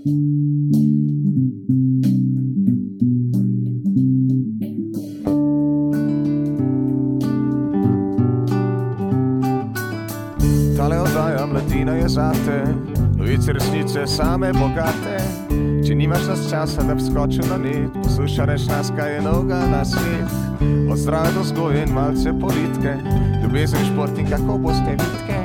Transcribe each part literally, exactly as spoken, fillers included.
Tale oddaja Mladina je zate, novice resnice same bogate. Če nimaš nas časa, da bi skočil na net, poslušaš nas, kaj je novega na svet. Od zdrave do vzgoje in malce politike, ljubezen, šport in kako boste vitke,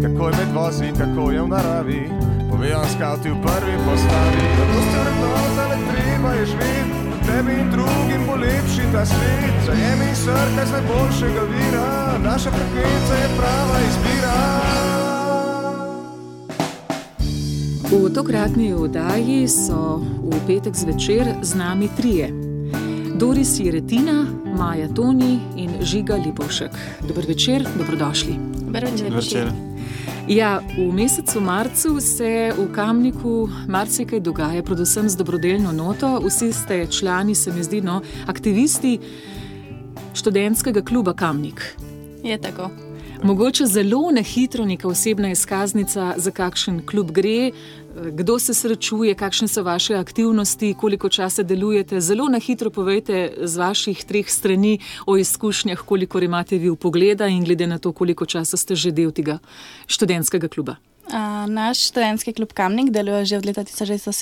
kako je med vozi, kako je v naravi, povejo skavti v prvi postavi. Zato ste vrednota, le treba je živeti, tebi in drugim bo lepši ta svet. Zajemi in srkaj z najboljšega vira, naša frekvenca je prava izbira. V tokratni oddaji so v petek zvečer z nami trije. Doris Jeretina, Maja Toni in Žiga Lipovšek. Dober večer, dobrodošli. Dober večer. večer. Ja, v mesecu marcu se v Kamniku marsikaj dogaja, predvsem z dobrodelno noto. Vsi ste člani, se mi zdi, no, aktivisti študentskega kluba Kamnik. Je tako. Mogoče zelo na hitro neka osebna izkaznica, za kakšen klub gre, kdo se srečuje, kakšne so vaše aktivnosti, koliko časa delujete. Zelo na hitro povejte z vaših treh strani o izkušnjah, koliko imate vi vpogleda in glede na to, koliko časa ste že del tega študentskega kluba. Uh, naš študentski klub Kamnik deluje že od leta tisoč devetsto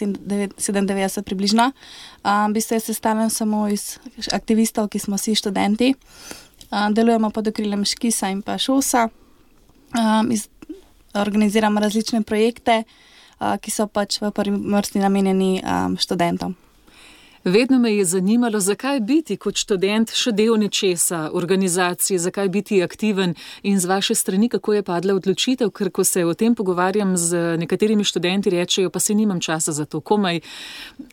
sedemindevetdeset približno. Uh, v bistvu je sestavljen samo iz aktivistov, ki smo vsi študenti. Uh, delujemo pod okriljem Škisa in pa Šosa. Um, iz, organiziramo različne projekte, uh, ki so pač v prvi vrsti namenjeni um, študentom. Vedno me je zanimalo, zakaj biti kot študent še del nečesa, organizacije, zakaj biti aktiven in z vaše strani, kako je padla odločitev, ker ko se o tem pogovarjam z nekaterimi študenti, rečejo, pa si nimam časa za to, komaj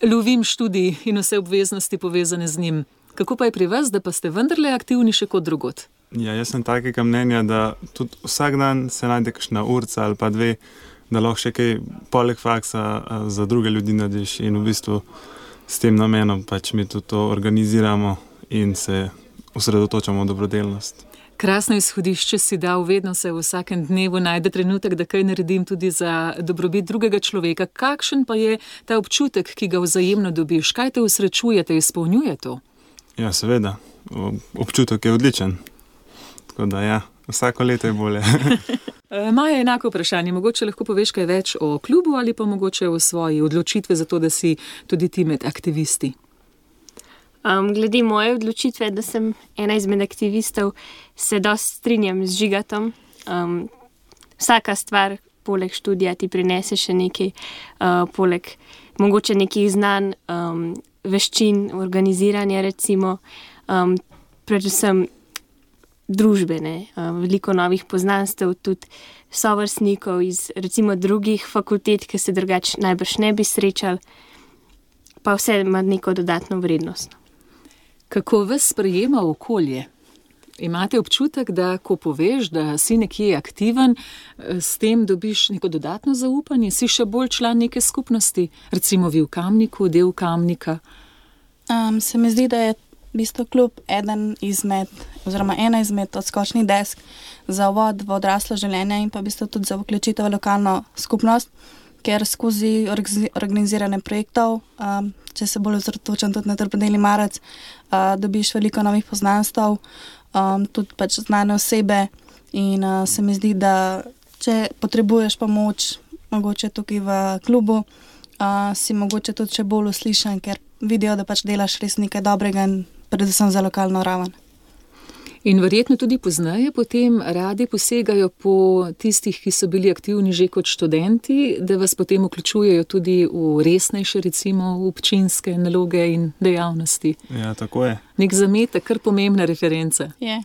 lovim študij in vse obveznosti povezane z njim. Kako pa je pri vas, da pa ste vendarle aktivni še kot drugot? Ja, jaz sem takega mnenja, da tudi vsak dan se najde kakšna urca ali pa dve, da lahko še kaj poleg faksa za druge ljudi narediš in v bistvu s tem namenom pač mi tudi to organiziramo in se osredotočamo v dobrodelnost. Krasno izhodišče si dal, vedno se v vsakem dnevu najde trenutek, da kaj naredim tudi za dobrobit drugega človeka. Kakšen pa je ta občutek, ki ga vzajemno dobiš? Kaj te usrečuje, te izpolnjuje to? Ja, seveda. Občutek je odličen. Tako da ja, vsako leto je bolje. Maja, enako vprašanje. Mogoče lahko poveš kaj več o klubu ali pa mogoče o svoji odločitvi za to, da si tudi ti med aktivisti? Um, glede moje odločitve, da sem ena izmed aktivistov, se dosti strinjam z Žigatom. Um, vsaka stvar poleg študija ti prinese še nekaj, uh, poleg mogoče nekih znanj, um, veščin, organiziranja recimo, um, predvsem družbene, um, veliko novih poznanstev, tudi sovrstnikov iz recimo drugih fakultet, ki se drugače najbrž ne bi srečali, pa vse ima neko dodatno vrednost. Kako vas sprejema okolje? Imate občutek, da ko poveš, da si nekje aktiven, s tem dobiš neko dodatno zaupanje, si še bolj član neke skupnosti, recimo vi v Kamniku, del Kamnika? Um, se mi zdi, da je v bistvu klub eden izmed, oziroma ena izmed odskočnih desk za uvod v odraslo življenje in pa v bistvu tudi za vključitev v lokalno skupnost, ker skozi organizirane projektov, um, če se bolj osredotočam tudi na dobrodelni marec, uh, dobiš veliko novih poznanstev, Um, tudi pač znane osebe in uh, se mi zdi, da če potrebuješ pomoč mogoče tukaj v klubu, uh, si mogoče tudi še bolj uslišan, ker vidijo, da pač delaš res nekaj dobrega in predvsem za lokalno raven. In verjetno tudi pozneje potem radi posegajo po tistih, ki so bili aktivni že kot študenti, da vas potem vključujejo tudi v resnejše, recimo v občinske naloge in dejavnosti. Ja, tako je. Nek zametek, kar pomembna referenca. Je.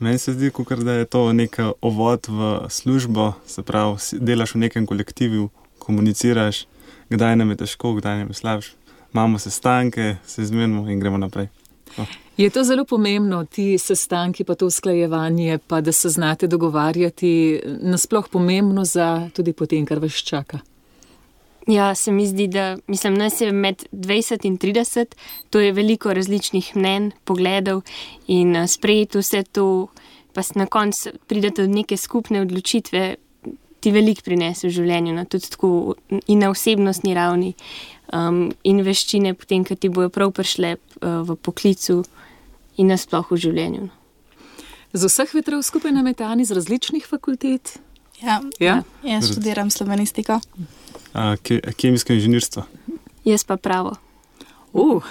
Meni se zdi, kakor da je to nek ovod v službo, se pravi, delaš v nekem kolektivu, komuniciraš, kdaj nam je težko, kdaj nam je slabše. Imamo sestanke, se izmenimo in gremo naprej. To. Je to zelo pomembno, ti sestanki, pa to usklajevanje, pa da se znate dogovarjati, nasploh pomembno za tudi potem, kar vas čaka? Ja, se mi zdi, da mislim, nas je med dvajset in trideset, to je veliko različnih mnenj, pogledov in sprejeti vse to, pa na koncu pridete do neke skupne odločitve, ti veliko prinese v življenju, no, tudi tako in na osebnostni ravni, um, in veščine, potem, ko ti bojo prav prišle uh, v poklicu in nasploh v življenju. No. Z vseh vetrov skupaj nametani z različnih fakultet? Ja, Ja? jaz študiram slovenistiko. A, ke, kemijsko inženirstvo. Jaz pa pravo. Uh.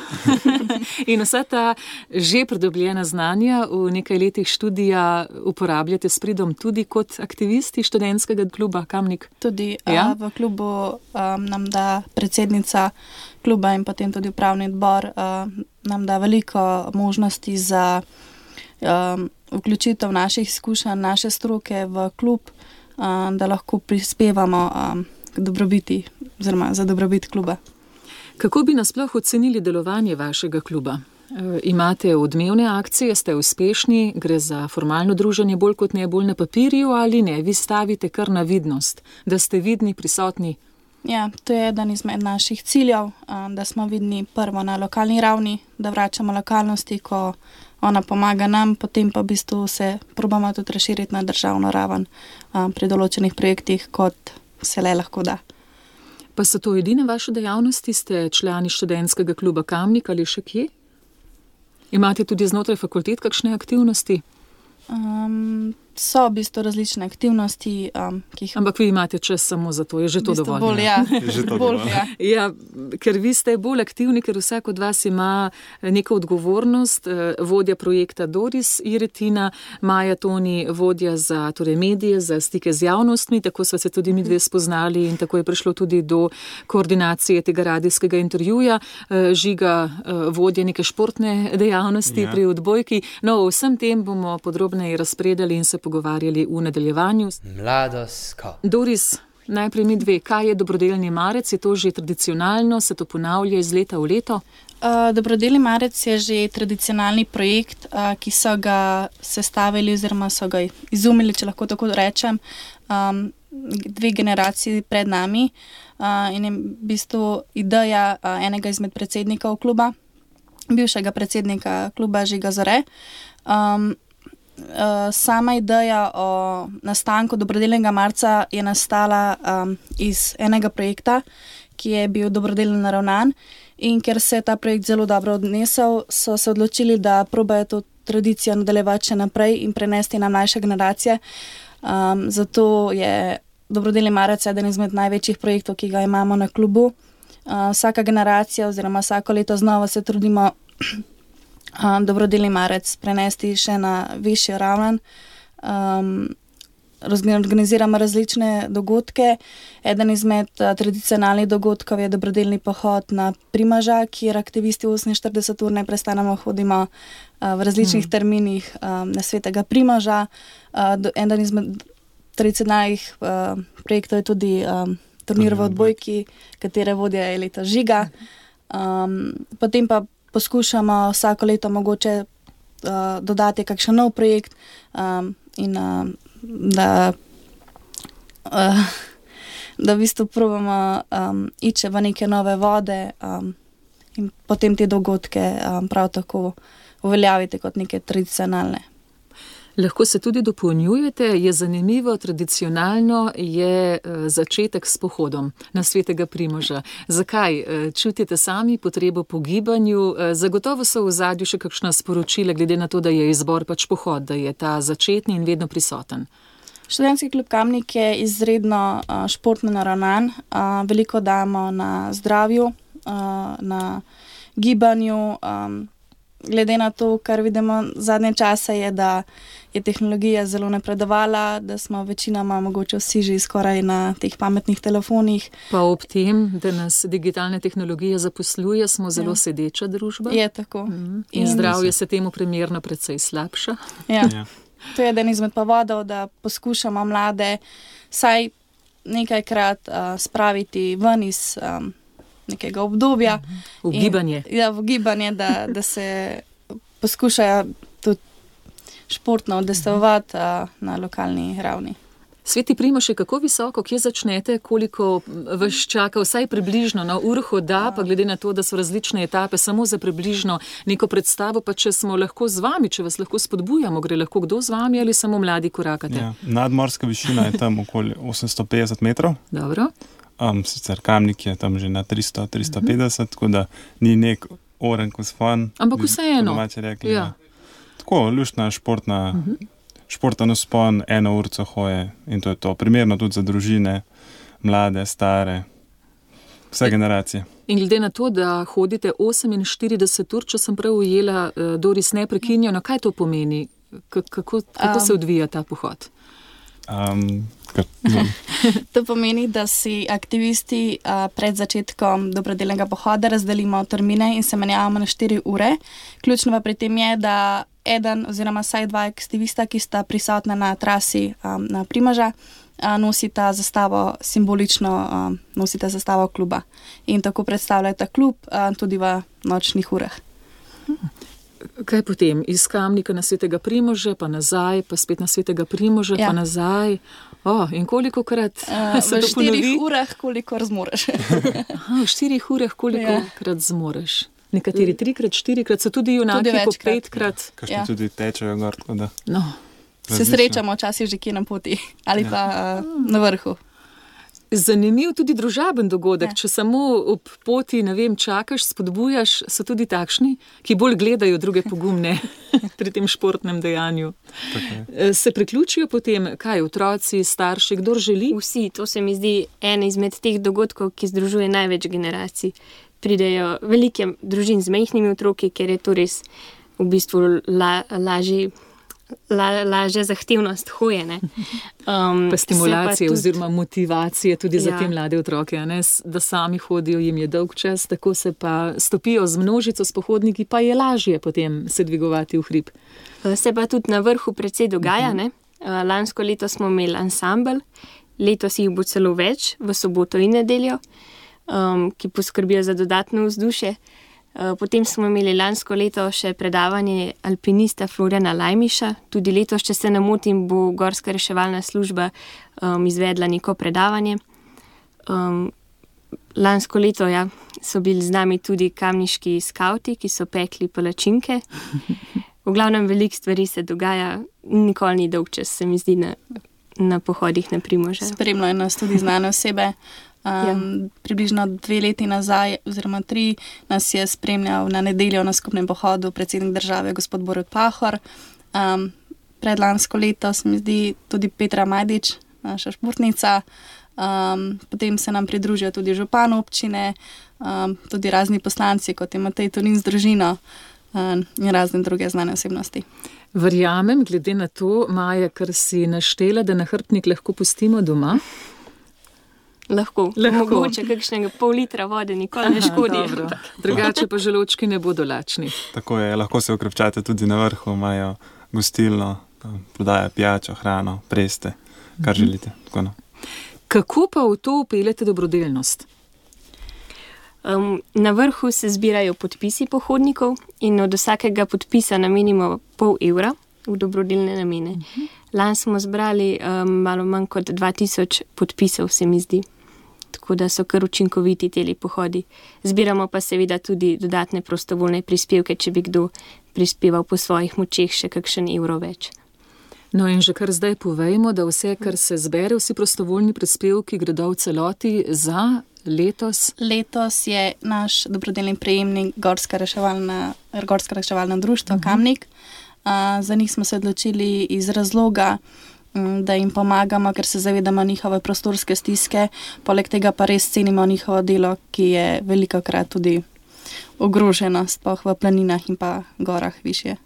In vsa ta že pridobljena znanja v nekaj letih študija uporabljate s pridom tudi kot aktivisti študentskega kluba Kamnik? Tudi Ja? uh, v klubu um, nam da predsednica kluba in potem tudi upravni odbor uh, nam da veliko možnosti za um, vključitev naših izkušenj, naše stroke v klub, um, da lahko prispevamo um, k dobrobiti oziroma za dobrobit kluba. Kako bi nasploh ocenili delovanje vašega kluba? E, imate odmevne akcije, ste uspešni, gre za formalno druženje bolj kot ne bolj na papirju ali ne? Vi stavite kar na vidnost, da ste vidni, prisotni. Ja, to je eden izmed naših ciljev, um, da smo vidni prvo na lokalni ravni, da vračamo lokalnosti, ko ona pomaga nam, potem pa v bistvu se probamo tudi razširiti na državno raven um, pri določenih projektih, kot se le lahko da. Pa so to edine vaše dejavnosti? Ste člani študentskega kluba Kamnik ali še kje? Imate tudi znotraj fakultet kakšne aktivnosti? Um, so v bistvu različne aktivnosti, um, ki jih Ampak vi imate čas samo za to, je že to v bistvu dovolj. bolj, ja, Je že to bolj, dovolj. ja. Ja, ker vi ste bolj aktivni, ker vsak od vas ima neko odgovornost. Vodja projekta Doris Iretina, Maja Toni, vodja za torej medije, za stike z javnostmi, tako sva se tudi mi dve spoznali in tako je prišlo tudi do koordinacije tega radijskega intervjuja. Žiga, vodja neke športne dejavnosti Ja. pri odbojki. No, o vsem tem bomo podrobneje razpredali in se pogovarjali v nadaljevanju. Mladosko. Doris, najprej mi dve, kaj je dobrodelni marec? Je to že tradicionalno, se to ponavlja iz leta v leto? Uh, Dobrodelni marec je že tradicionalni projekt, uh, ki so ga sestavili oziroma so ga izumili, če lahko tako rečem, um, dve generaciji pred nami uh, in je v bistvu ideja uh, enega izmed predsednikov kluba, bivšega predsednika kluba Žiga Zore. Um, Uh, sama ideja o nastanku dobrodelnega marca je nastala um, iz enega projekta, ki je bil dobrodelno naravnan, in ker se je ta projekt zelo dobro odnesel, so se odločili, da probajo to tradicijo nadaljevati še naprej in prenesti na mlajše generacije. Um, zato je dobrodelni marec eden izmed največjih projektov, ki ga imamo na klubu. Uh, vsaka generacija oziroma vsako leto znova se trudimo Um, dobrodelni marec prenesti še na višjo raven. Um, organiziramo različne dogodke. Eden izmed uh, tradicionalnih dogodkov je dobrodelni pohod na Primoža, kjer aktivisti oseminštirideset ur neprestano hodimo uh, v različnih hmm. terminih um, na svetega Primoža. Uh, do, eden izmed tradicionalnih uh, projektov je tudi um, turnir v odbojki, katere vodja je leta Žiga. Um, potem pa poskušamo vsako leto mogoče uh, dodati kakšen nov projekt um, in uh, da, uh, da v bistvu probamo um, ići v neke nove vode um, in potem te dogodke um, prav tako uveljaviti kot neke tradicionalne. Lahko se tudi dopolnjujete, je zanimivo, tradicionalno je začetek s pohodom na svetega Primoža. Zakaj? Čutite sami potrebo po gibanju? Zagotovo so v ozadju še kakšna sporočila, glede na to, da je izbor pač pohod, da je ta začetni in vedno prisoten. Študentski klub Kamnik je izredno uh, športno naravnan. Uh, veliko damo na zdravju, uh, na gibanju. Um, glede na to, kar vidimo zadnje čase, je, da je tehnologija zelo napredovala, da smo večinoma mogoče vsi že skoraj na teh pametnih telefonih. Pa ob tem, da nas digitalna tehnologija zaposluje, smo zelo ja. sedeča družba. Je tako. Mm. In, in zdravje se temu primerno precej slabša. Ja. Ja. To je eden izmed povodov, da poskušamo mlade vsaj nekajkrat uh, spraviti ven iz um, nekega obdobja. V gibanje. In, ja, v gibanje, da, da se poskušajo tudi športno udejstvovati uh, na lokalni ravni. Sveti Primož, kako visoko, kje začnete, koliko vas čaka, vsaj približno, na urho da, pa glede na to, da so različne etape, samo za približno neko predstavo, pa če smo lahko z vami, če vas lahko spodbujamo, gre lahko kdo z vami ali samo mladi korakate? Ja, nadmorska višina je tam okoli osemsto petdeset metrov. Dobro. Um, sicer Kamnik je tam že na tristo do tristo petdeset, tako da ni nek oren vzpon. Ampak vseeno. Rekli, ja. Ja. Tako, luštna, športna, uh-huh. športen vzpon, eno urco hoje in to je to. Primerno tudi za družine, mlade, stare, vse e, generacije. In glede na to, da hodite oseminštirideset ur, če sem prav ujela, Doris, neprekinjeno, kaj to pomeni? Kako, kako um, se odvija ta pohod? Um, to pomeni, da si aktivisti uh, pred začetkom dobrodelnega pohoda razdelimo termine in se menjavamo na štiri ure. Ključno pa pri tem je, da eden oziroma vsaj dva aktivista, ki sta prisotna na trasi um, na Primoža, uh, nosita zastavo simbolično, um, nosita zastavo kluba in tako predstavljata klub uh, tudi v nočnih urah. Hmm. Kaj potem? Iz Kamnika na Svetega Primoža, pa nazaj, pa spet na Svetega Primoža, ja. pa nazaj. Oh, in koliko krat uh, se to ponovi? V štirih urah, koliko zmoreš. Aha, v štirih urah, koliko ja. krat zmoreš. Nekateri trikrat, štirikrat, so tudi junaki po petkrat. Kakšni ja. tudi tečejo gor, tako da. No. Se srečamo včasih že kje na poti ali ja. pa uh, na vrhu. Zanimiv tudi družaben dogodek, ja. če samo ob poti, ne vem, čakaš, spodbujaš, so tudi takšni, ki bolj gledajo druge pogumne pri tem športnem dejanju. Okay. Se priključijo potem, kaj, otroci, starši, kdor želi? Vsi, to se mi zdi en izmed teh dogodkov, ki združuje največ generacij. Pridejo velike družin z majhnimi otroki, ker je to res v bistvu la, lažji La, lažja zahtevnost hoje. Um, pa stimulacije pa tudi, oziroma motivacije tudi ja. za te mlade otroke, ne? Da sami hodijo, jim je dolg čas, tako se pa stopijo z množico s pohodniki, pa je lažje potem se dvigovati v hrib. Se pa tudi na vrhu precej dogaja. Uh-huh. Ne? Lansko leto smo imeli ansambel, letos jih bo celo več, v soboto in nedeljo, um, ki poskrbijo za dodatno vzdušje. Potem smo imeli lansko leto še predavanje alpinista Florjana Lajmiša. Tudi letos, če se ne motim, bo Gorska reševalna služba um, izvedla neko predavanje. Um, lansko leto ja, so bili z nami tudi kamniški skauti, ki so pekli palačinke. V glavnem veliko stvari se dogaja, nikoli ni dolg čas, se mi zdi, na, na pohodih na Primoža. Spremljajo nas tudi znane osebe. Um, ja. Približno dve leti nazaj, oziroma tri, nas je spremljal na nedeljo na skupnem pohodu predsednik države, gospod Borut Pahor. Um, predlansko leto se mi zdi tudi Petra Majdič, naša športnica. Um, potem se nam pridružijo tudi župan občine, um, tudi razni poslanci, kot je Matej Tonin z družino um, in razne druge znane osebnosti. Verjamem, glede na to, Maja, kar si naštela, da nahrbtnik lahko pustimo doma. Lahko, lahko. Mogoče kakšnega pol litra vode nikoli ne škodi. Drugače pa želočki ne bodo lačni. Tako je, lahko se okrepčate tudi na vrhu, imajo gostilno, prodaja pijačo, hrano, preste, kar mm-hmm. želite. Tako, no. Kako pa v to upeljete dobrodelnost? Um, na vrhu se zbirajo podpisi pohodnikov in od vsakega podpisa namenimo pol evra v dobrodelne namene. Mm-hmm. Lani smo zbrali um, malo manj kot dva tisoč podpisov, se mi zdi. Tako da so kar učinkoviti teli pohodi. Zbiramo pa seveda tudi dodatne prostovoljne prispevke, če bi kdo prispeval po svojih močeh še kakšen evro več. No in že kar zdaj povejmo, da vse, kar se zbere, vsi prostovoljni prispevki gredo v celoti za letos. Letos je naš dobrodelni prejemnik Gorska reševalna, Gorska reševalna društva uh-huh. Kamnik. Uh, za njih smo se odločili iz razloga, da jim pomagamo, ker se zavedamo njihove prostorske stiske, poleg tega pa res cenimo njihovo delo, ki je velikokrat tudi ogroženo, sploh v planinah in pa gorah višje.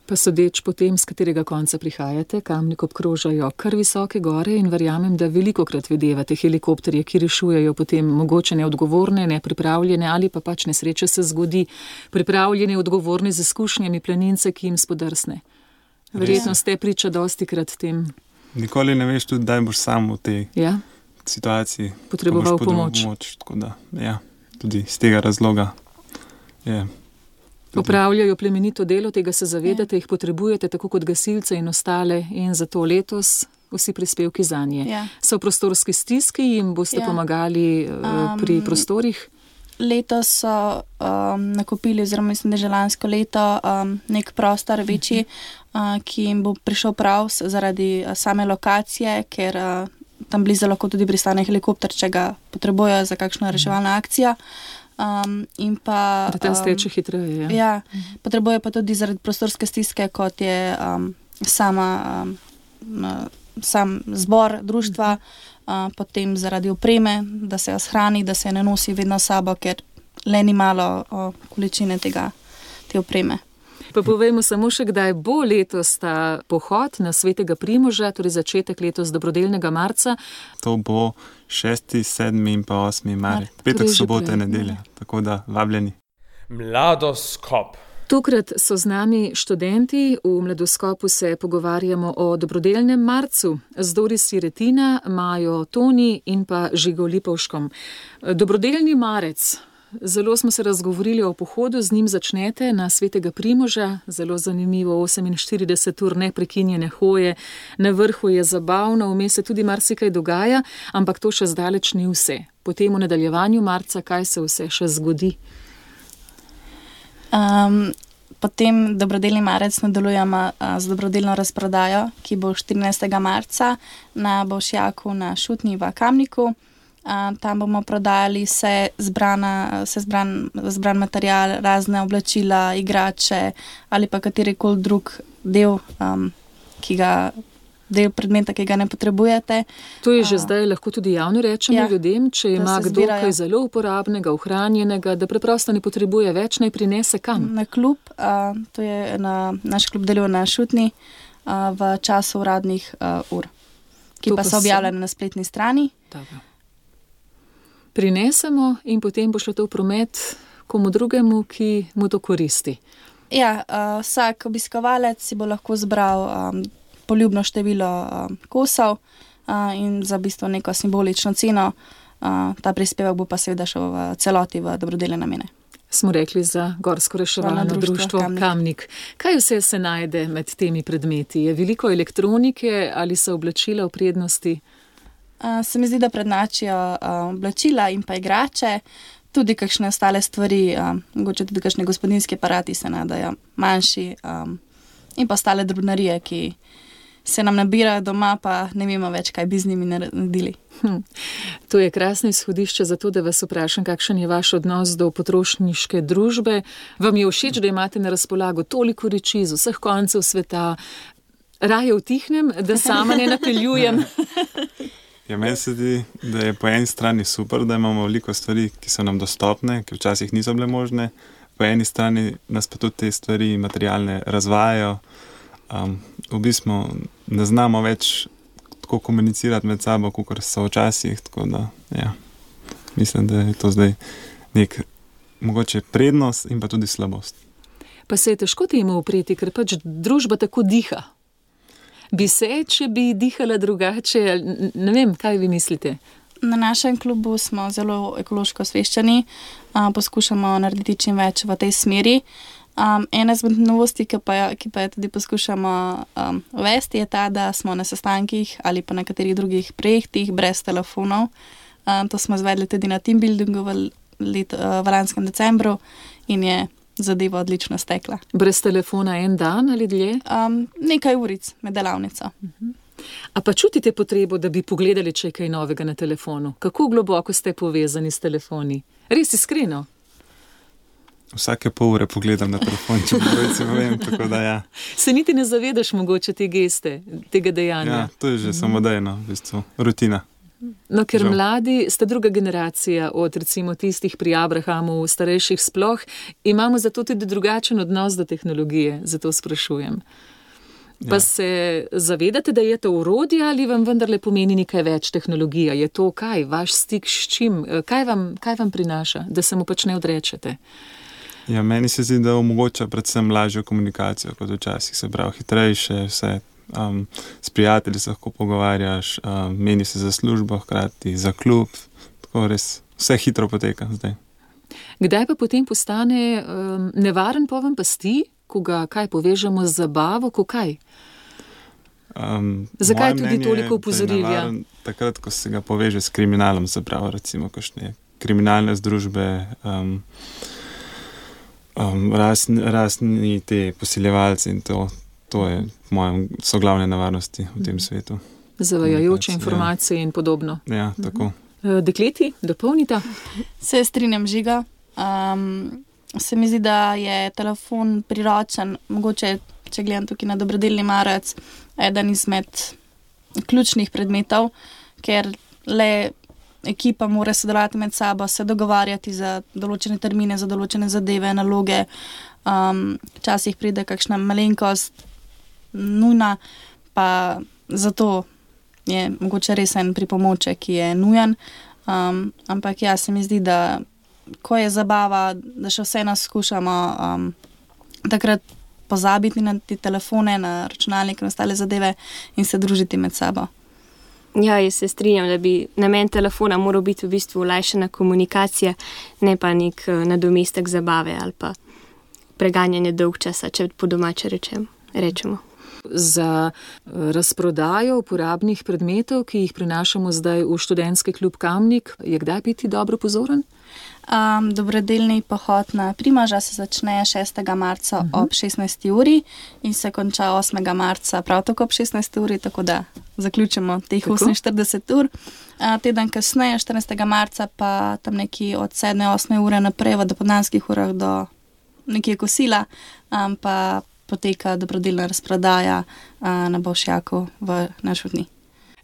Pa sodeč po tem, z katerega konca prihajate, Kamnik obkrožajo kar visoke gore in verjamem, da velikokrat videvate helikopterje, ki rešujejo potem mogoče neodgovorne, nepripravljene ali pa pač nesreče se zgodi, pripravljene, odgovorne z izkušnjami planince, ki jim spodrsne. Verjetno ste priča dostikrat tem. Nikoli ne veš tudi, da boš sam v tej ja? situaciji potreboval pomoč. pomoč. Tako da, ja, tudi iz tega razloga je. Opravljajo plemenito delo, tega se zavedate, jih potrebujete tako kot gasilce in ostale in zato letos vsi prispevki za nje. Ja. So v prostorski stiski, jim boste Ja. pomagali uh, pri Um, prostorih? Letos so um, nakupili, oziroma mislim, da že lansko leto, um, nek prostor večji, uh, ki jim bo prišel prav s- zaradi uh, same lokacije, ker uh, tam blizu lahko tudi pristane helikopter, če ga potrebujejo za kakšno reševalno akcijo. Um, in pa, Da tam um, steče hitreje. Ja. Ja, potrebuje pa tudi zaradi prostorske stiske, kot je um, sama, um, uh, sam zbor društva, uh, potem zaradi opreme, da se jo shrani, da se je ne nosi vedno s sabo, ker le ni malo uh, količine tega, te opreme. Pa povejmo samo še, kdaj bo letos ta pohod na Svetega Primoža, torej začetek letos dobrodelnega marca. To bo šesti, sedmi in pa osmi marec. Marec. Petek, Torej že sobota prej, in nedelja. Tako da vabljeni. Mladoskop. Tokrat so z nami študenti, v Mladoskopu se pogovarjamo o dobrodelnem marcu z Doris Retina, Majo Toni in pa Žigo Lipovškom. Dobrodelni marec. Zelo smo se razgovorili o pohodu, z njim začnete na Svetega Primoža, zelo zanimivo, oseminštirideset ur neprekinjene hoje, na vrhu je zabavno, vmes se tudi marsikaj dogaja, ampak to še zdaleč ni vse. Potem v nadaljevanju marca, kaj se vse še zgodi? Um, potem dobrodelni marec nadaljujemo uh, z dobrodelno razprodajo, ki bo štirinajstega marca na Bolšjaku na Šutni v Kamniku. Uh, tam bomo prodajali vse, zbrana, vse zbran, zbran material, razne oblačila, igrače ali pa katerikoli drug del, um, ki ga, del predmeta, ki ga ne potrebujete. To je že A. zdaj lahko tudi javno rečemo Ja, ljudem, če da ima se kdo zbirajo. kaj zelo uporabnega, ohranjenega, da preprosto ne potrebuje več, naj prinese kam. Na klub, uh, to je na, naš klub deluje na Šutni uh, v času uradnih uh, ur, ki To pa pa so so- objavljene na spletni strani. Dobro. Prinesemo in potem bo šlo to v promet komu drugemu, ki mu to koristi. Ja, uh, vsak obiskovalec si bo lahko zbral um, poljubno število um, kosov uh, in za bistvo neko simbolično ceno. Uh, ta prispevek bo pa seveda šel v celoti v dobrodelne namene. Smo rekli za Gorsko reševalno Reševalno društvo društvo Kamnik. Kamnik. Kaj vse se najde med temi predmeti? Je veliko elektronike ali so oblačila v prednosti? Uh, se mi zdi, da prednačijo uh, oblačila in pa igrače, tudi kakšne ostale stvari, uh, mogoče tudi kakšne gospodinjski aparati se nadajo, manjši um, in pa ostale drobnarije, ki se nam nabirajo doma, pa ne vemo več, kaj bi z njimi naredili. Hm. To je krasno izhodišče za to, da vas vprašam, kakšen je vaš odnos do potrošniške družbe. Vam je všeč, da imate na razpolago toliko reči z vseh koncev sveta? Raje vtihnem, da sama ne napeljujem. Ja, meni se zdi, da je po eni strani super, da imamo veliko stvari, ki so nam dostopne, ki včasih niso bile možne, po eni strani nas pa tudi te stvari materialne razvajajo. Um, v bistvu ne znamo več tako komunicirati med sabo, kot so včasih, tako da ja, mislim, da je to zdaj nek mogoče prednost in pa tudi slabost. Pa se je težko temu upreti, ker pač družba tako diha. Bi se, če bi dihala drugače, ali ne vem, kaj vi mislite? Na našem klubu smo zelo ekološko osveščeni, uh, poskušamo narediti čim več v tej smeri. Um, ena izmed novosti, ki pa, ki pa je tudi poskušamo um, uvesti, je ta, da smo na sestankih ali pa na katerih drugih projektih brez telefonov. Um, to smo izvedli tudi na teambuildingu v, let, uh, v lanskem decembru in je zadeva odlično stekla. Brez telefona en dan ali dlje? Um, nekaj uric med delavnico. A pa čutite potrebo, da bi pogledali, če je kaj novega na telefonu? Kako globoko ste povezani s telefoni? Res iskreno? Vsake pol ure pogledam na telefon, če pravim, vem, tako da ja. Se niti ne zavedaš mogoče te geste, tega dejanja? Ja, to je že samodejno, v bistvu, rutina. No, ker Žal. mladi ste druga generacija od recimo tistih pri Abrahamu, starejših sploh, imamo zato tudi drugačen odnos do tehnologije, zato sprašujem. Pa Ja. se zavedate, da je to orodje ali vam vendarle pomeni nekaj več tehnologija? Je to kaj, vaš stik s čim? Kaj vam, kaj vam prinaša, da se mu pač ne odrečete? Ja, meni se zdi, da omogoča predvsem lažjo komunikacijo kot včasih, se pravi hitrejše, vse. Um, s prijatelji se lahko pogovarjaš, um, meni se za službo, hkrati za klub, tako res vse hitro poteka zdaj. Kdaj pa potem postane um, nevaren poven pasti, ko ga kaj povežemo z zabavo, ko kaj? Um, Zakaj moje tudi mnenje toliko je, da je opozoril, ja? navaren Takrat, ko se ga poveže s kriminalom, se pravi, recimo, kakšne kriminalne združbe, um, um, rasni, rasni te posiljevalci in to, to je po mojem so glavne nevarnosti v tem svetu. Zavajajoče Ja. informacije in podobno. Ja, tako. Eh, Dekleti, dopolnita? Se strinjam, Žiga. Um, se mi zdi, da je telefon priročen, mogoče, če gledam tukaj na dobrodelni marec, eden izmed ključnih predmetov, ker le ekipa mora sodelovati med sabo, se dogovarjati za določene termine, za določene zadeve, naloge. Um, včasih pride kakšna malenkost nujna, pa zato je mogoče res en pripomoček, ki je nujen. Um, ampak ja, se mi zdi, da ko je zabava, da še vse nas skušamo um, takrat pozabiti na te telefone, na računalnik in ostale zadeve in se družiti med sabo. Ja, jaz se strinjam, da bi namen telefona moral biti v bistvu olajšana komunikacija, ne pa nek uh, nadomestek zabave ali pa preganjanje dolg časa, če po domače rečem, rečemo. Za razprodajo uporabnih predmetov, ki jih prinašamo zdaj v študentski klub Kamnik, je kdaj biti dobro pozoren? Um, dobrodelni pohod na Primoža se začne šestega marca uh-huh. ob šestnajsti uri in se konča osmega marca prav tako ob šestnajsti uri, tako da zaključimo teh tako? oseminštirideset ur. Uh, teden kasneje, štirinajstega marca, pa tam neki od sedme osme ure naprej v dopoldanskih urah do nekje kosila, um, pa poteka dobrodelna razprodaja uh, na Bolšjaku v Našutni.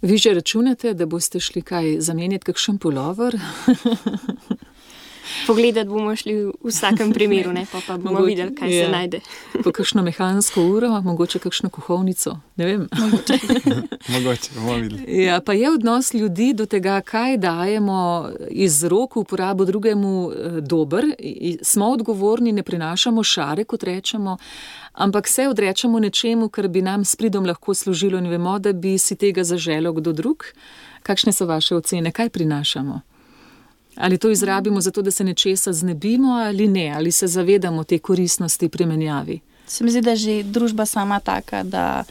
Vi že računate, da boste šli kaj zamenjati, kakšen pulover? Pogledati bomo šli v vsakem primeru, ne, pa, pa bomo Mogoče, videli, kaj ja. se najde. Po kakšno mehansko uro, mogoče kakšno kuhovnico, ne vem. Mogoče bomo videli. Ja, pa je odnos ljudi do tega, kaj dajemo iz rok v uporabo drugemu eh, dober. I, smo odgovorni, ne prinašamo šare, kot rečemo, ampak se odrečemo nečemu, kar bi nam s pridom lahko služilo in vemo, da bi si tega zaželel kdo drug. Kakšne so vaše ocene, kaj prinašamo? Ali to izrabimo zato, da se nečesa znebimo ali ne, ali se zavedamo te koristnosti pri menjavi? Se mi zdi, da je že družba sama taka, da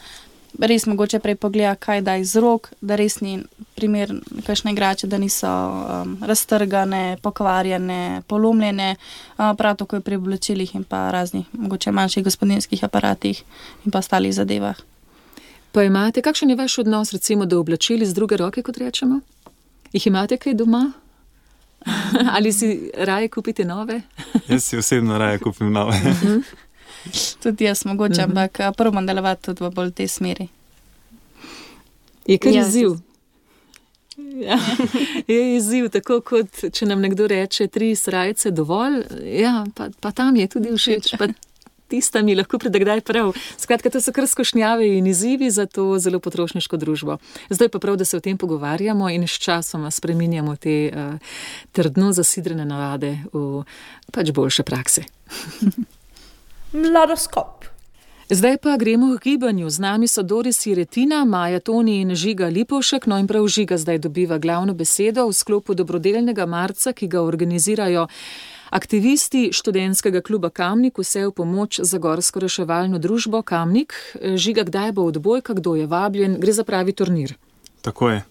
res mogoče prej pogleda, kaj da iz rok, da res ni primer kakšne igrače, da niso um, raztrgane, pokvarjene, polomljene, uh, prav tako je pri oblačilih in pa raznih mogoče manjših gospodinjskih aparatih in pa ostalih zadevah. Pa imate, kakšen je vaš odnos recimo do oblačil iz druge roke, kot rečemo? Jih imate kaj doma? Ali si raje kupite nove? Jaz si osebno raje kupim nove. Tudi jaz mogoče, Mhm. ampak uh, prvo bom delovati tudi v bolj tej smeri. Je kar Ja, izziv. Ja, je izziv, tako kot če nam nekdo reče tri srajce dovolj, ja, pa, pa tam je tudi všeč, pa tista mi lahko pride kdaj prav. Skratka, to so kar skušnjave in izzivi za to zelo potrošniško družbo. Zdaj pa prav, da se o tem pogovarjamo in s časoma spreminjamo te uh, trdno zasidrene navade v pač boljše prakse. Mladoskop. Zdaj pa gremo v gibanju. Z nami so Doris Jiretina, Maja Toni in Žiga Lipovšek. No in prav Žiga zdaj dobiva glavno besedo v sklopu dobrodelnega marca, ki ga organizirajo aktivisti študentskega kluba Kamnik, vse v pomoč za gorsko reševalno družbo Kamnik. Žiga, kdaj bo odbojka, kdo je vabljen? Gre za pravi turnir. Tako je.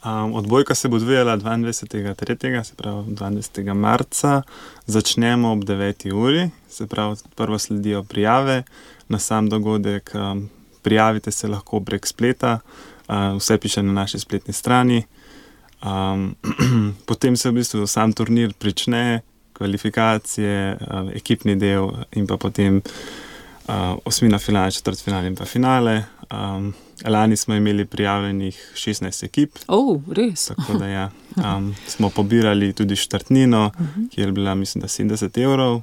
Um, odbojka se bo odvijala dvaindvajsetega tretjega, se pravi dvaindvajsetega marca. Začnemo ob deveti uri, se pravi prvo sledijo prijave na sam dogodek. Um, prijavite se lahko prek spleta, uh, vse piše na naši spletni strani. Um, potem se v bistvu sam turnir prične, kvalifikacije, uh, ekipni del in pa potem uh, osmina finale, četrtfinale in pa finale. Um, lani smo imeli prijavljenih šestnajst ekip. O, res? Tako da ja, um, smo pobirali tudi štartnino, kjer je bila, mislim, da sedemdeset evrov.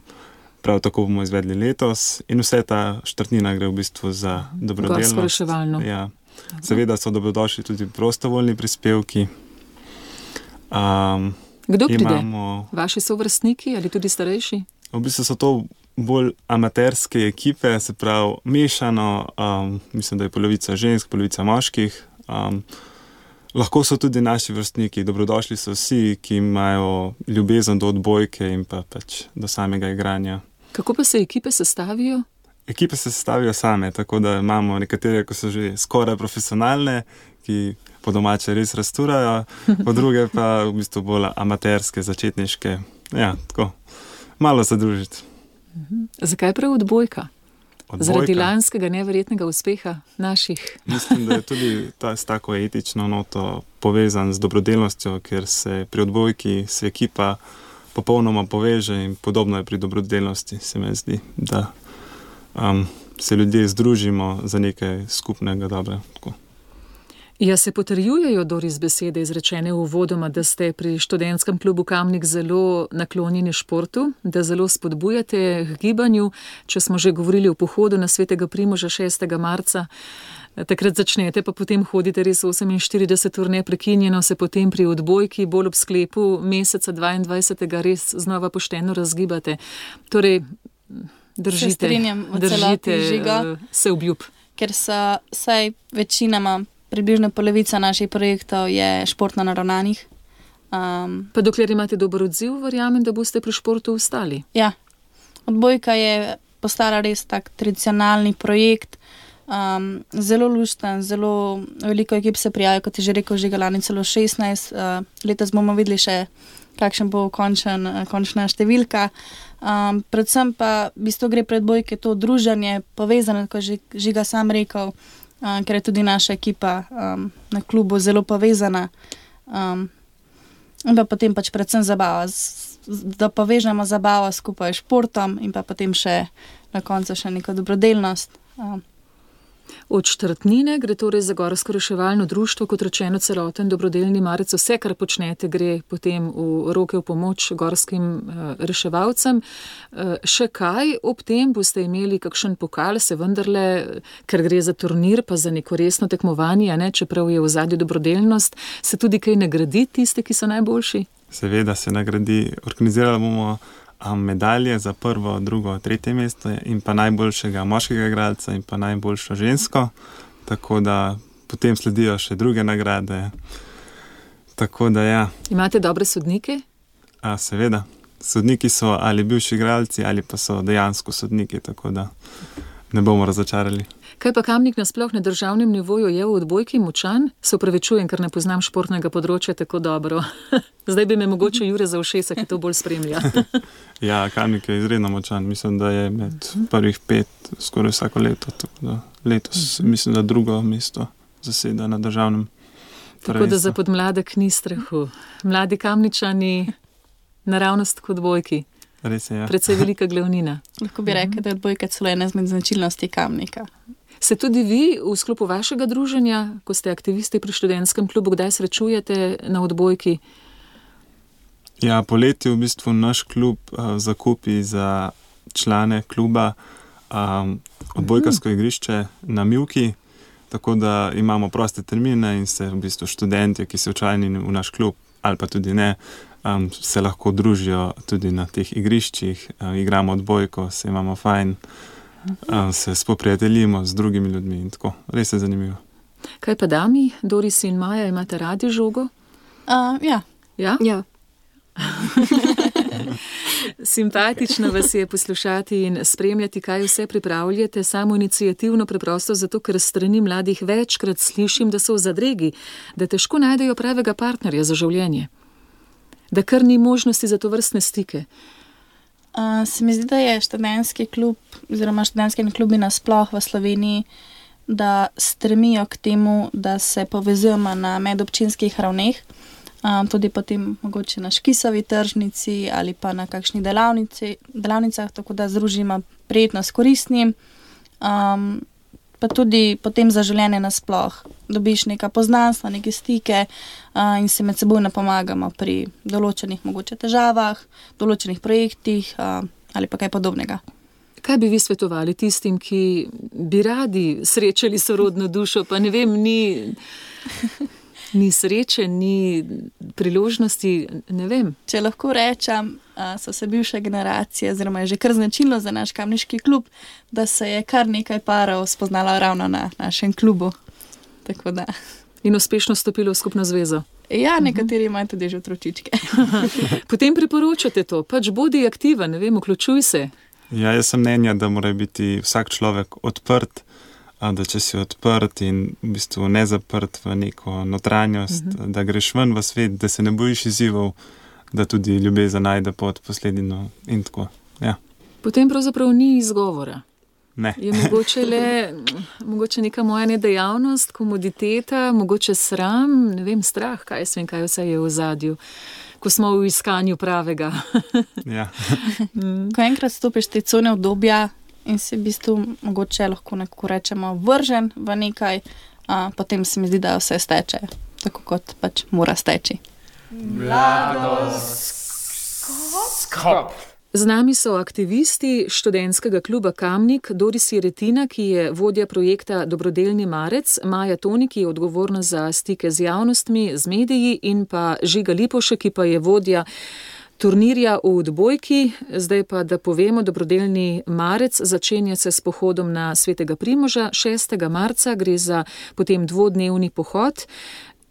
Prav tako bomo izvedli letos in vse ta štartnina gre v bistvu za dobrodelnost. Gorsko reševalno. Ja. Seveda so dobrodošli tudi prostovoljni prispevki. Um, Kdo pride? imamo, Vaši sovrstniki ali tudi starejši? v bistvu so to bolj amaterske ekipe, se pravi mešano, um, mislim, da je polovica žensk, polovica moških. Um, lahko so tudi naši vrstniki, dobrodošli so vsi, ki imajo ljubezen do odbojke in pa pač do samega igranja. Kako pa se ekipe sestavijo? Ekipe se sestavijo same, tako da imamo nekatere, ko so že skoraj profesionalne, ki po domače res rasturajo, po druge pa v bistvu bolj amaterske, začetniške. Ja, tako, malo se družiti. Zakaj prav odbojka? Odbojka. Zaradi lanskega neverjetnega uspeha naših. Mislim, da je tudi ta, s tako etično noto povezan z dobrodelnostjo, ker se pri odbojki se ekipa popolnoma poveže in podobno je pri dobrodelnosti, se mi zdi, da um, se ljudje združimo za nekaj skupnega dobrega. Ja, se potrjujejo, Doris, besede izrečene uvodoma, da ste pri študentskem klubu Kamnik zelo naklonjeni športu, da zelo spodbujate k gibanju. Če smo že govorili o pohodu na Svetega Primoža šestega marca, takrat začnete, pa potem hodite res oseminštirideset ur neprekinjeno, se potem pri odbojki bolj ob sklepu meseca dvaindvajsetega res znova pošteno razgibate. Torej, držite, Se strinjam v celoti, držite Žiga. uh, se obljub. Ker so vsaj večinoma, približno polovica naših projektov je športno naravnanih. Um, Pa dokler imate dober odziv, verjamem, da boste pri športu ostali. ja, odbojka je postala res tak tradicionalni projekt, um, zelo lušten, zelo veliko ekip se prijavijo, kot je že rekel Žiga, lani celo šestnajst, uh, letos bomo videli še, kakšen bo končen, uh, končna številka. Um, predvsem pa v bistvu gre pri odbojki to druženje, povezano, kot je Žiga sam rekel, um, ker je tudi naša ekipa um, na klubu zelo povezana. Um, in pa potem pač predvsem zabava, z, z, da povežemo zabavo skupaj s športom in pa potem še na koncu še neko dobrodelnost. Um, Od četrtnine gre torej za Gorsko reševalno društvo, kot rečeno celoten dobrodelni marec. Vse, kar počnete, gre potem v roke v pomoč gorskim uh, reševalcem. Uh, še kaj ob tem boste imeli kakšen pokal, se vendarle, ker gre za turnir, pa za neko resno tekmovanje, ne, čeprav je v zadnji dobrodelnost, se tudi kaj nagradi tiste, ki so najboljši? Seveda se nagradi, organizirali bomo medalje za prvo, drugo, tretje mesto in pa najboljšega moškega igralca in pa najboljšo žensko, tako da potem sledijo še druge nagrade. Tako da ja. Imate dobre sodnike? A, seveda. Sodniki so ali bivši igralci ali pa so dejansko sodniki, tako da ne bomo razočarali. Kaj pa Kamnik nasploh na državnem nivoju je v odbojki močan? Se upravičujem, ker ne poznam športnega področja tako dobro. Zdaj bi me mogoče Jure za ušesa, ki to bolj spremlja. Ja, Kamnik je izredno močan. Mislim, da je med prvih pet skoraj vsako leto. Tako da letos mislim, da drugo mesto zaseda na državnem. Tako da za podmladek ni strahu. Mladi Kamničani naravnost kot odbojki. Res je, ja. Predvsej velika glavnina. lahko bi rekel, da je odbojka celo ena izmed značilnosti Kamnika. Se tudi vi v sklopu vašega druženja, ko ste aktivisti pri študentskem klubu, kdaj srečujete na odbojki? Ja, poleti v bistvu naš klub uh, zakupi za člane kluba um, odbojkarsko igrišče na Mivki, tako da imamo proste termine in se v bistvu študentje, ki so včlanjeni v naš klub ali pa tudi ne, um, se lahko družijo tudi na teh igriščih, uh, igramo odbojko, se imamo fajn, um, se spoprijateljimo z drugimi ljudmi in tako. Res je zanimivo. Kaj pa dami, Doris in Maja, imate radi žogo? Uh, ja, Ja? Ja. Simpatično vas je poslušati in spremljati, kaj vse pripravljate, samo iniciativno, preprosto zato, ker s strani mladih večkrat slišim, da so v zadregi, da težko najdejo pravega partnerja za življenje, da kar ni možnosti za to vrstne stike. uh, se mi zdi, da je študentski klub, oziroma študentski klubi nasploh v Sloveniji, da stremijo k temu, da se povezujemo na medobčinskih ravneh, um, tudi potem mogoče na Škisovi tržnici ali pa na kakšni delavnici, delavnicah, tako da združimo prijetno s koristnim, um, pa tudi potem za življenje nasploh. Dobiš neka poznanstva, neke stike uh, in se med seboj pomagamo pri določenih mogoče težavah, določenih projektih uh, ali pa kaj podobnega. Kaj bi vi svetovali tistim, ki bi radi srečali sorodno dušo, pa ne vem, ni, ni sreče, ni priložnosti, ne vem. Če lahko rečem, uh, so se bivše generacije, oziroma je že kar značilno za naš kamniški klub, da se je kar nekaj parov spoznalo ravno na našem klubu. Tako da. In uspešno stopilo v skupno zvezo. Ja, nekateri imajo tudi že otročičke. Potem priporočate to, pač bodi aktiven, ne vem, vključuj se. Ja, jaz sem mnenja, da mora biti vsak človek odprt, da če si odprt in v bistvu ne zaprt v neko notranjost, uh-huh. da greš ven v svet, da se ne bojiš izzivov, da tudi ljubezen najde pot posledino in tako. Ja. Potem pravzaprav ni izgovora. Ne. Je mogoče le mogoče neka moja nedejavnost, komoditeta, mogoče sram, ne vem, strah, kaj sem, kaj vse je v ozadju, ko smo v iskanju pravega. Ja. Ko enkrat stopiš te cone obdobja in si v bistvu mogoče lahko nekako rečemo vržen v nekaj, a, potem se mi zdi, da vse steče, tako kot pač mora steči. Mladoskop. Z nami so aktivisti študentskega kluba Kamnik, Doris Jeretina, ki je vodja projekta Dobrodelni marec, Maja Toni, ki je odgovorna za stike z javnostmi, z mediji, in pa Žiga Lipovšek, ki pa je vodja turnirja v odbojki. Zdaj pa, da povemo, Dobrodelni marec začenja se s pohodom na Svetega Primoža. šestega marca gre za potem dvodnevni pohod.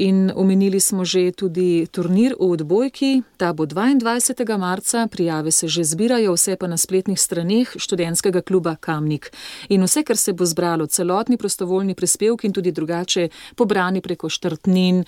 In omenili smo že tudi turnir v odbojki, ta bo dvaindvajsetega marca, prijave se že zbirajo, vse pa na spletnih straneh študentskega kluba Kamnik. In vse, kar se bo zbralo, celotni prostovoljni prispevki in tudi drugače pobrani preko štartnin,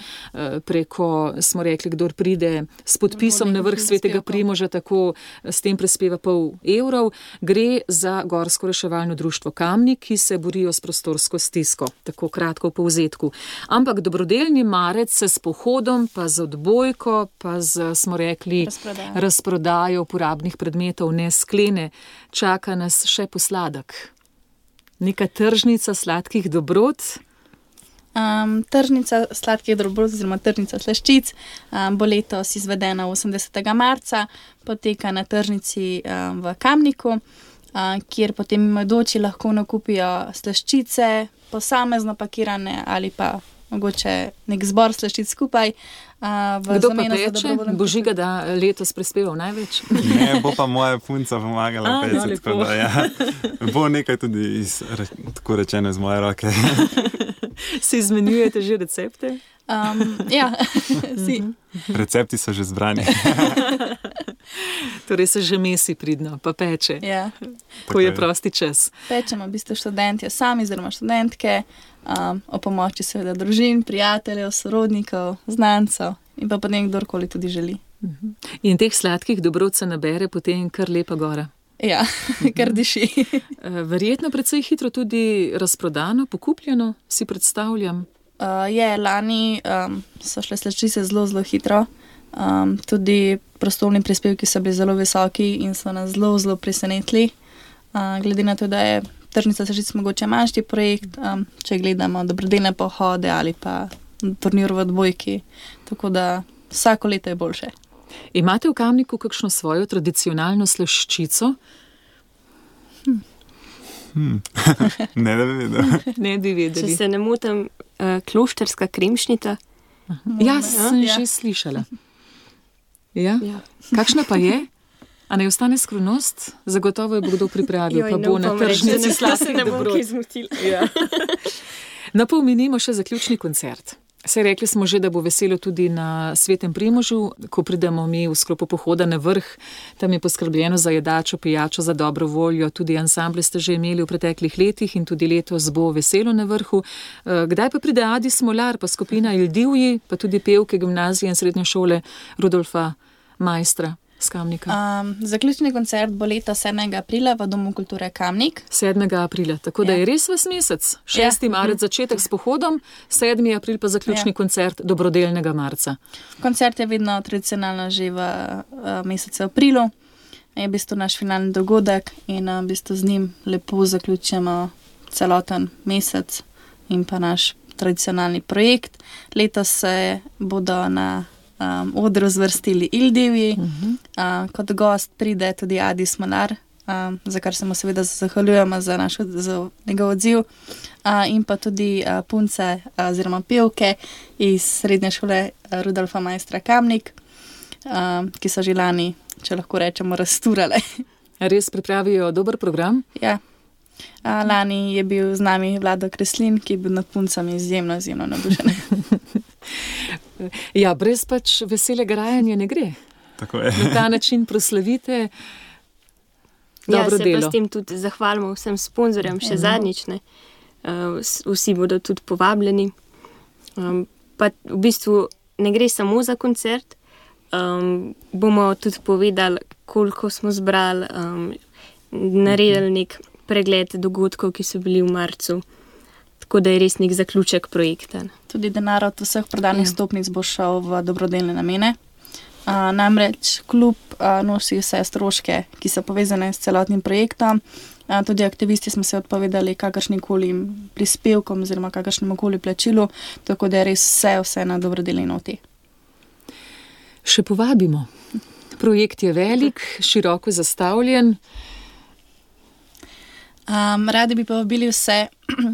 preko, smo rekli, kdor pride s podpisom na vrh Svetega Primoža, tako s tem prispeva pol evrov, gre za Gorsko reševalno društvo Kamnik, ki se borijo s prostorsko stisko, tako kratko v povzetku. Ampak dobrodelni marec se s pohodom, pa z odbojko, pa z, smo rekli, Razprodajo. razprodajo uporabnih predmetov ne sklene. Čaka nas še posladek. Neka tržnica sladkih dobrot. Um, tržnica sladkih dobrot oziroma tržnica slaščic um, bo letos izvedena osemdesetega marca, poteka na tržnici um, v Kamniku, um, kjer potem mimoidoči lahko nakupijo slaščice, posamezno pakirane ali pa mogoče nek zbor slaščic skupaj. Uh, v Kdo pa zameno za peče? dobrovoljen Bo Žiga, da letos prispeval največ? Ne, bo pa moja punca pomagala A, no, peči, lepo. tako da ja. Bo nekaj tudi iz, re, tako rečeno iz moje roke. Si izmenjujete že recepte? Um, ja, si. Recepti so že zbrani. Torej se že mesi pridno, pa peče, Ja. ko je je. prosti čas. Pečemo v bistvu študentje sami, oziroma študentke, um, o pomoči seveda družin, prijateljev, sorodnikov, znancev in pa potem kdorkoli tudi želi. In teh sladkih dobrot se nabere potem kar lepa gora. Ja, kar diši. Eh, Verjetno precej hitro tudi razprodano, pokupljeno, si predstavljam. Uh, je, lani um, so šle slaščice zelo, zelo hitro. Um, tudi prostovoljni prispevki so bili zelo visoki in so nas zelo, zelo presenetili. Uh, glede na to, da je tržnica slaščic mogoče manjši projekt, um, če gledamo dobrodelne pohode ali pa turnir v odbojki. Tako da vsako leto je boljše. Imate v Kamniku kakšno svojo tradicionalno slaščico? Ne, da bi vedel. Ne bi Če vedeli. se ne motim, uh, klošterska kremšnita. Ja, sem Ja. že slišala. Ja? Ja. Kakšna pa je? A naj ostane skrivnost? Zagotovo jo bo kdo pripravil, Joj, pa ne bo na upam reči, tržnici da sladkih ne bom dobrot. kaj zmotila. Ja. Napomenimo še zaključni koncert. Saj rekli smo že, da bo veselo tudi na Svetem Primožu, ko pridemo mi v sklopu pohoda na vrh. Tam je poskrbljeno za jedačo, pijačo, za dobro voljo. Tudi ansamble ste že imeli v preteklih letih in tudi letos bo veselo na vrhu. Eh, Kdaj pa pride Adi Smolar, pa skupina Ildivji, pa tudi pevke gimnazije in srednje šole Rudolfa Majstra z Kamnika? Um, zaključni koncert bo leta sedmega aprila v Domu kulture Kamnik. sedmega aprila, tako da Ja. je res vas mesec. šesti marec začetek s pohodom, sedmi april pa zaključni Ja. koncert dobrodelnega marca. Koncert je vedno tradicionalno že v uh, mesecu aprilu. Je v bistvu naš finalni dogodek in uh, v bistvu z njim lepo zaključujemo celoten mesec in pa naš tradicionalni projekt. Letos se bodo na um, odru zvrstili Ildivji. Uh-huh. Uh, kot gost pride tudi Adi Smolar, um, za kar se mu seveda zahvaljujemo za, naš, za njegov odziv. Uh, in pa tudi uh, punce uh, oziroma pevke iz srednje šole uh, Rudolfa Majstra Kamnik, uh, ki so že lani, če lahko rečemo, razturale. Res pripravijo dober program. Ja. Uh, lani je bil z nami Vlado Kreslin, ki je bil nad puncami izjemno, izjemno navdušen. Ja, brez pač veselega rajanja ne gre. Tako je. Na ta način proslavite dobro ja, delo. Ja, se pa s tem tudi zahvalimo vsem sponzorjem, še Mhm. zadnjič, ne. Uh, vsi bodo tudi povabljeni. Um, pa v bistvu ne gre samo za koncert, um, bomo tudi povedali, koliko smo zbrali, um, naredili nek pregled dogodkov, ki so bili v marcu, tako da je res nek zaključek projekta. Tudi denar od vseh prodanih Ja. stopnic bo šel v dobrodelne namene. Uh, namreč klub uh, nosi vse stroške, ki so povezane s celotnim projektom. Uh, tudi aktivisti smo se odpovedali kakršnikoli prispevkom oziroma kakršnemu koli plačilu, tako da je res vse, vse na dobrodelni noti. Še povabimo. Projekt je velik, široko zastavljen. Um, radi bi povabili vse,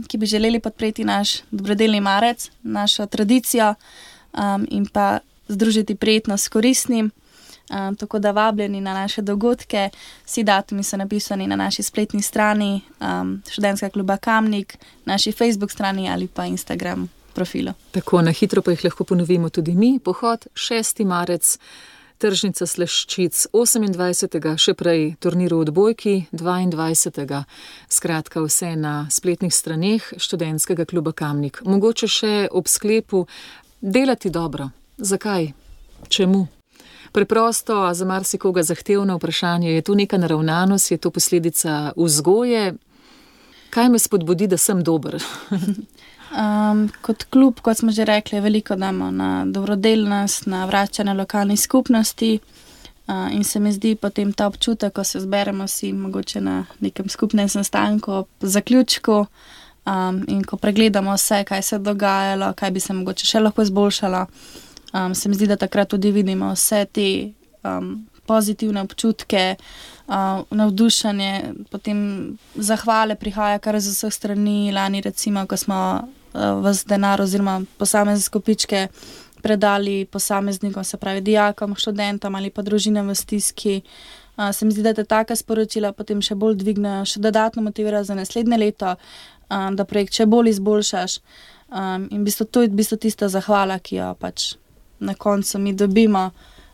ki bi želeli podpreti naš dobrodelni marec, našo tradicijo um, in pa združiti prijetno s koristnim. Um, tako da vabljeni na naše dogodke, vsi datumi so napisani na naši spletni strani um, Študentskega kluba Kamnik, naši Facebook strani ali pa Instagram profilu. Tako, na hitro pa jih lahko ponovimo tudi mi. Pohod šesti marec, tržnica Sleščic osemindvajsetega še prej turnir v odbojki dvaindvajsetega Skratka, vse na spletnih straneh Študentskega kluba Kamnik. Mogoče še ob sklepu delati dobro. Zakaj? Čemu? Preprosto, a za marsikoga zahtevno vprašanje, je to neka naravnanost, je to posledica vzgoje? Kaj me spodbudi, da sem dober? Um, kot klub, kot smo že rekli, veliko damo na dobrodelnost, na vračanje lokalnih skupnosti uh, in se mi zdi potem ta občutek, ko se zberemo si mogoče na nekem skupnem sestanku ob zaključku um, in ko pregledamo vse, kaj se je dogajalo, kaj bi se mogoče še lahko izboljšalo. Um, se mi zdi, da takrat tudi vidimo vse te um, pozitivne občutke, uh, navdušenje, potem zahvale prihaja kar z vseh strani. Lani recimo, ko smo uh, vas denar oziroma posamezne skupičke predali posameznikom, se pravi dijakom, študentom ali pa družinam v stiski, uh, se mi zdi, da te taka sporočila potem še bolj dvignejo, še dodatno motivirajo za naslednje leto, um, da projekt še bolj izboljšaš. Um, in v bistvu to je v bistvu tista zahvala, ki jo pač na koncu mi dobimo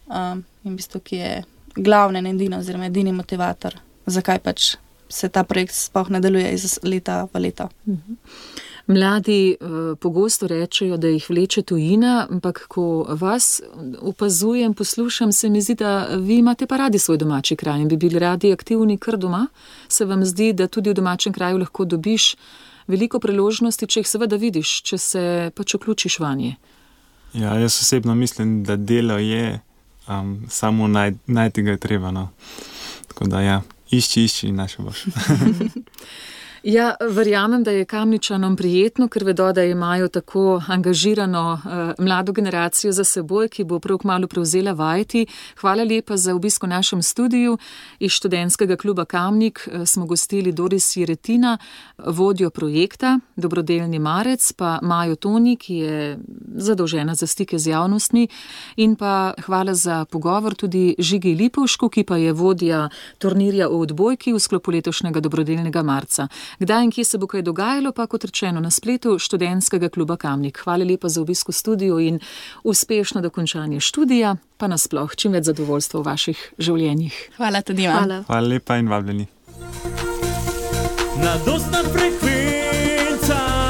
um, in v bistvu, ki je glavni in edini oziroma edini motivator, zakaj pač se ta projekt sploh nadaljuje iz leta v leto. Mladi uh, pogosto rečejo, da jih vleče tujina, ampak ko vas opazujem, poslušam, se mi zdi, da vi imate pa radi svoj domači kraj in bi bili radi aktivni kar doma. Se vam zdi, da tudi v domačem kraju lahko dobiš veliko priložnosti, če jih seveda vidiš, če se pač vključiš vanje? Ja, jaz osebno mislim, da delo je, um, samo naj, najti ga je treba. No. Tako da ja, išči, išči in naše boš. Ja, verjamem, da je Kamničanom prijetno, ker vedo, da imajo tako angažirano uh, mlado generacijo za seboj, ki bo prav kmalu prevzela vajeti. Hvala lepa za obisk v našem studiu. Iz Študentskega kluba Kamnik uh, smo gostili Doris Jeretina, vodjo projekta Dobrodelni marec, pa Majo Toni, ki je zadolžena za stike z javnostmi, in pa hvala za pogovor tudi Žigi Lipovšku, ki pa je vodja turnirja v odbojki v sklopu letošnjega Dobrodelnega marca. Kdaj in kje se bo kaj dogajalo, pa kot rečeno na spletu Študentskega kluba Kamnik. Hvala lepa za obisk v studiu in uspešno dokončanje študija, pa nasploh čim več zadovoljstva v vaših življenjih. Hvala tudi vam. Hvala. Hvala lepa in vabljeni. Mladostna frekvenca.